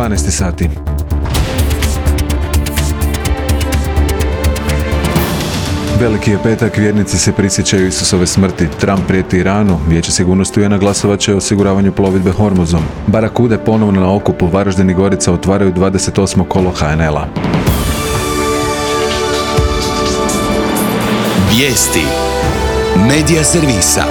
12 sati. Veliki je petak, vjernici se prisjećaju Isusove smrti. Trump prijeti Iranu, Vijeće sigurnosti UN-a glasovat će o osiguravanju plovidbe Hormuzom. Barakude ponovno na okupu, Varaždin i Gorica otvaraju 28. kolo HNL-a. Vijesti Medija servisa.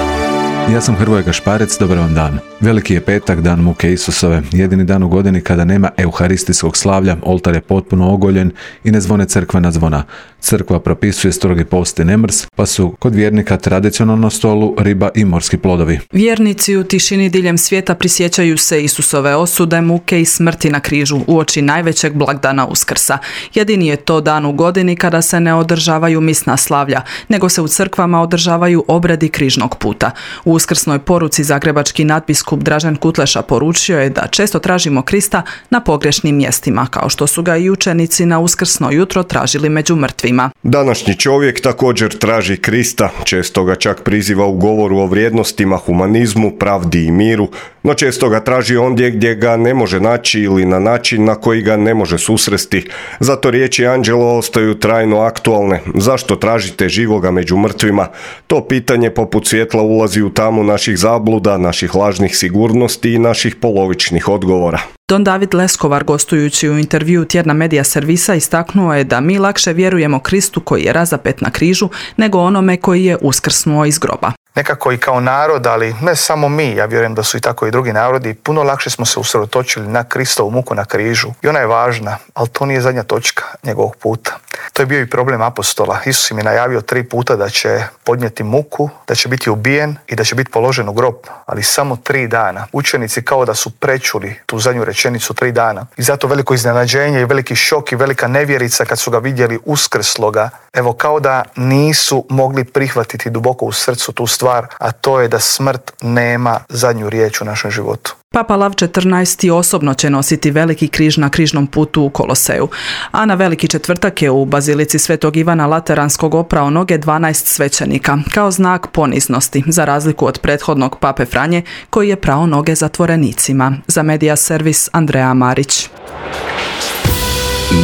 Ja sam Hrvoje Gašparec, dobar vam dan. Veliki je petak, dan muke Isusove, jedini dan u godini kada nema euharistijskog slavlja, oltar je potpuno ogoljen i ne zvone crkvena zvona. Crkva propisuje strogi post i nemrs, pa su kod vjernika tradicionalno na stolu riba i morski plodovi. Vjernici u tišini diljem svijeta prisjećaju se Isusove osude, muke i smrti na križu uoči najvećeg blagdana Uskrsa. Jedini je to dan u godini kada se ne održavaju misna slavlja, nego se u crkvama održavaju obredi križnog puta. U uskrsnoj poruci zagrebački nadbiskup Dražen Kutleša poručio je da često tražimo Krista na pogrešnim mjestima, kao što su ga i učenici na uskrsno jutro tražili među mrtvima. Današnji čovjek također traži Krista, često ga čak priziva u govoru o vrijednostima, humanizmu, pravdi i miru, no često ga traži ondje gdje ga ne može naći ili na način na koji ga ne može susresti. Zato riječi anđela ostaju trajno aktualne. Zašto tražite živoga među mrtvima? To pitanje poput svjetla ulazi u tamu naših zabluda, naših lažnih sigurnosti i naših polovičnih odgovora. Don David Leskovar, gostujući u intervjuu tjedna Medija servisa, istaknuo je da mi lakše vjerujemo Kristu koji je razapet na križu nego onome koji je uskrsnuo iz groba. Nekako i kao narod, ali ne samo mi, ja vjerujem da su i tako i drugi narodi, puno lakše smo se usredotočili na Kristovu muku na križu. I ona je važna, ali to nije zadnja točka njegovog puta. To je bio i problem apostola. Isus im je najavio 3 puta da će podnijeti muku, da će biti ubijen i da će biti položen u grob, ali samo 3 dana. Učenici kao da su prečuli tu zadnju rečenicu 3 dana. I zato veliko iznenađenje i veliki šok i velika nevjerica kad su ga vidjeli uskrsloga. Evo, kao da nisu mogli prihvatiti duboko u srcu tu stvar, a to je da smrt nema zadnju riječ u našem životu. Papa Lav XIV osobno će nositi veliki križ na križnom putu u Koloseju, a na Veliki četvrtak je u Bazilici Svetog Ivana Lateranskog oprao noge 12 svećenika, kao znak poniznosti, za razliku od prethodnog pape Franje, koji je prao noge zatvorenicima. Za Medija servis Andreja Marić.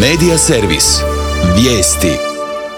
Medija servis. Vijesti.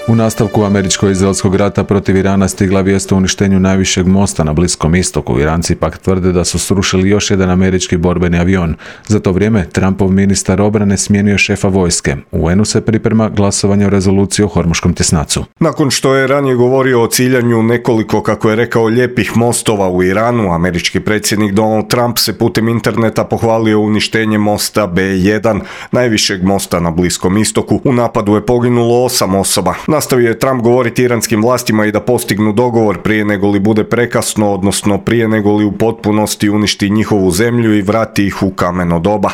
U nastavku američko-izraelskog rata protiv Irana stigla vijest o uništenju najvišeg mosta na Bliskom istoku. Iranci pak tvrde da su srušili još jedan američki borbeni avion. Za to vrijeme Trumpov ministar obrane smijenio šefa vojske. U UN-u se priprema glasovanje o rezoluciji o Hormuškom tjesnacu. Nakon što je ranije govorio o ciljanju nekoliko, kako je rekao, lijepih mostova u Iranu, američki predsjednik Donald Trump se putem interneta pohvalio uništenje mosta B1, najvišeg mosta na Bliskom istoku. U napadu je poginulo 8 osoba. Nastavio je Trump govoriti iranskim vlastima i da postignu dogovor prije nego li bude prekasno, odnosno prije nego li u potpunosti uništi njihovu zemlju i vrati ih u kameno doba.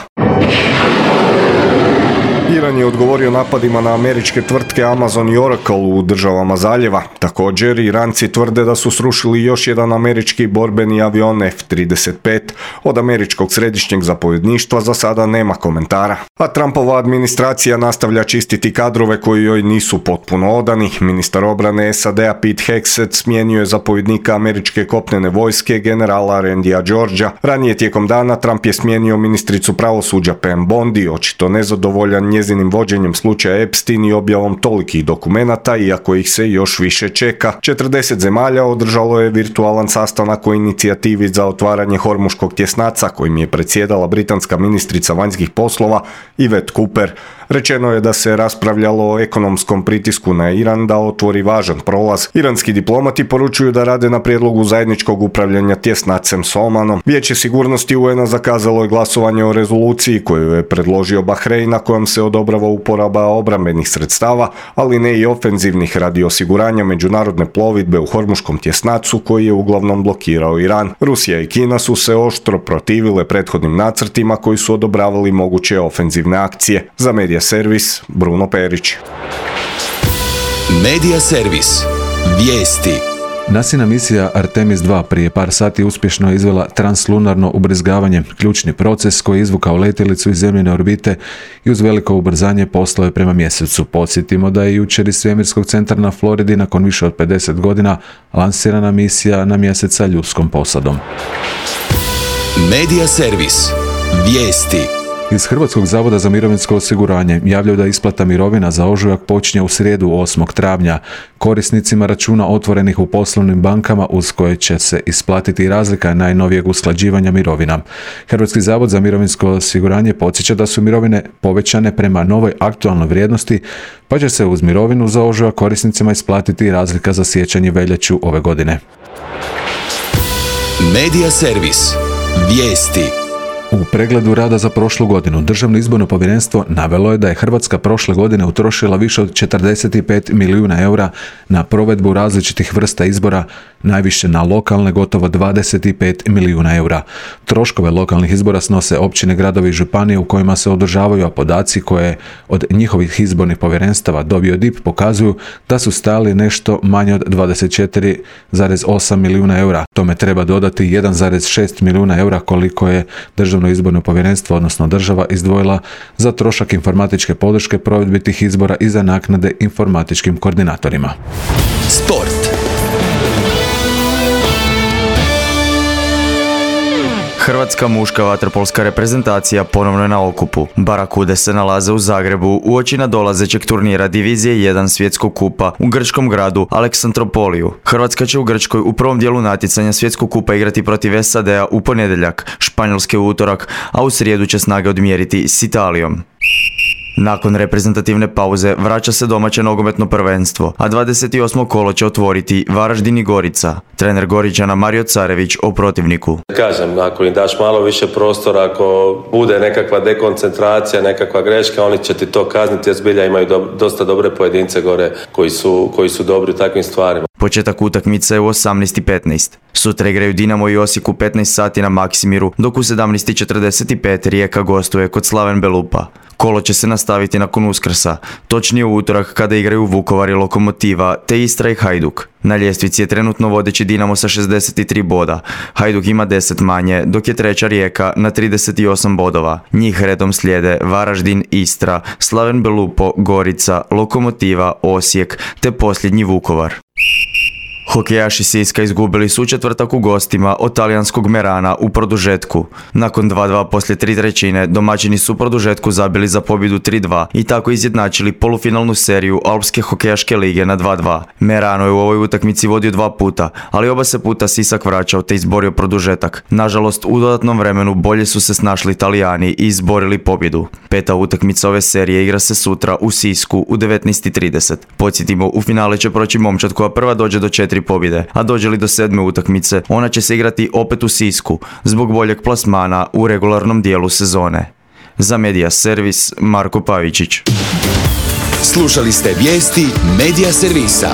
Iran je odgovorio napadima na američke tvrtke Amazon i Oracle u državama zaljeva. Također, Iranci tvrde da su srušili još jedan američki borbeni avion F-35. Od američkog središnjeg zapovjedništva za sada nema komentara. A Trumpova administracija nastavlja čistiti kadrove koji joj nisu potpuno odani. Ministar obrane SAD-a Pete Hegseth smijenio je zapovjednika američke kopnene vojske generala Randya Georgea. Ranije tijekom dana Trump je smijenio ministricu pravosuđa Pam Bondi, očito nezadovoljan njezinim vođenjem slučaja Epstein i objavom tolikih dokumenata, iako ih se još više čeka. 40 zemalja održalo je virtualan sastanak o inicijativi za otvaranje Hormuškog tjesnaca, kojim je predsjedala britanska ministrica vanjskih poslova Yvette Cooper. Rečeno je da se raspravljalo o ekonomskom pritisku na Iran da otvori važan prolaz. Iranski diplomati poručuju da rade na prijedlogu zajedničkog upravljanja tjesnacem s Omanom. Vijeće sigurnosti UN-a zakazalo je glasovanje o rezoluciji koju je predložio Bahrein, na kojom se odobrava uporaba obrambenih sredstava, ali ne i ofenzivnih, radi osiguranja međunarodne plovidbe u Hormuškom tjesnacu koji je uglavnom blokirao Iran. Rusija i Kina su se oštro protivile prethodnim nacrtima koji su odobravali moguće ofenzivne akcije. Za Medija servis Bruno Perić. Medija servis. Vijesti. NASIna misija Artemis 2 prije par sati uspješno je izvela translunarno ubrizgavanje, ključni proces koji je izvukao letjelicu iz zemljine orbite i uz veliko ubrzanje poslao je prema mjesecu. Podsjetimo da je jučer iz svemirskog centra na Floridi nakon više od 50 godina lansirana misija na mjesec sa ljudskom posadom. Medija servis. Vijesti. Iz Hrvatskog zavoda za mirovinsko osiguranje javljaju da isplata mirovina za ožujak počinje u srijedu 8. travnja. Korisnicima računa otvorenih u poslovnim bankama uz koje će se isplatiti razlika najnovijeg usklađivanja mirovina. Hrvatski zavod za mirovinsko osiguranje podsjeća da su mirovine povećane prema novoj aktualnoj vrijednosti, pa će se uz mirovinu za ožujak korisnicima isplatiti razlika za siječanj i veljaču ove godine. Medija servis. Vijesti. U pregledu rada za prošlu godinu Državno izborno povjerenstvo navelo je da je Hrvatska prošle godine utrošila više od 45 milijuna eura na provedbu različitih vrsta izbora, najviše na lokalne gotovo 25 milijuna eura. Troškove lokalnih izbora snose općine, gradovi i županije u kojima se održavaju, a podaci koje od njihovih izbornih povjerenstava dobio DIP pokazuju da su stajali nešto manje od 24,8 milijuna eura. Tome treba dodati 1,6 milijuna eura koliko je Državno izborno povjerenstvo, odnosno država, izdvojila za trošak informatičke podrške provedbi tih izbora i za naknade informatičkim koordinatorima. Sport. Hrvatska muška vaterpolska reprezentacija ponovno je na okupu. Barakude se nalaze u Zagrebu uoči nadolazećeg turnira Divizije 1 svjetskog kupa u grčkom gradu Aleksandropoliju. Hrvatska će u Grčkoj u prvom dijelu natjecanja svjetskog kupa igrati protiv SAD-a u ponedjeljak, Španjolske u utorak, a u srijedu će snage odmjeriti s Italijom. Nakon reprezentativne pauze vraća se domaće nogometno prvenstvo, a 28. kolo će otvoriti Varaždin i Gorica. Trener Goričana Mario Carević o protivniku. Kažem, ako im daš malo više prostora, ako bude nekakva dekoncentracija, nekakva greška, oni će ti to kazniti, jer zbilja imaju dosta dobre pojedince gore koji su dobri u takvim stvarima. Početak utakmice je u 18:15. Sutra igraju Dinamo i Osijek u 15 sati na Maksimiru, dok u 17:45 Rijeka gostuje kod Slaven Belupa. Kolo će se nastaviti nakon Uskrsa, točnije u utorak kada igraju Vukovar i Lokomotiva, te Istra i Hajduk. Na ljestvici je trenutno vodeći Dinamo sa 63 boda, Hajduk ima 10 manje, dok je treća Rijeka na 38 bodova. Njih redom slijede Varaždin, Istra, Slaven Belupo, Gorica, Lokomotiva, Osijek, te posljednji Vukovar. Hokejaši Siska izgubili su u četvrtak u gostima od talijanskog Merana u produžetku. Nakon 2:2 poslije 3/3 domaćini su u produžetku zabili za pobjedu 3:2 i tako izjednačili polufinalnu seriju Alpske hokejaške lige na 2:2. Merano je u ovoj utakmici vodio 2 puta, ali oba se puta Sisak vraćao te izborio produžetak. Nažalost, u dodatnom vremenu bolje su se snašli Italijani i izborili pobjedu. 5. utakmica ove serije igra se sutra u Sisku u 19:30. Podsjetimo, u finale će proći momčad koja prva dođe do 4 pobjede, a dođe li do 7. utakmice, ona će se igrati opet u Sisku, zbog boljeg plasmana u regularnom dijelu sezone. Za Medija servis, Marko Pavičić. Slušali ste vijesti Medija servisa.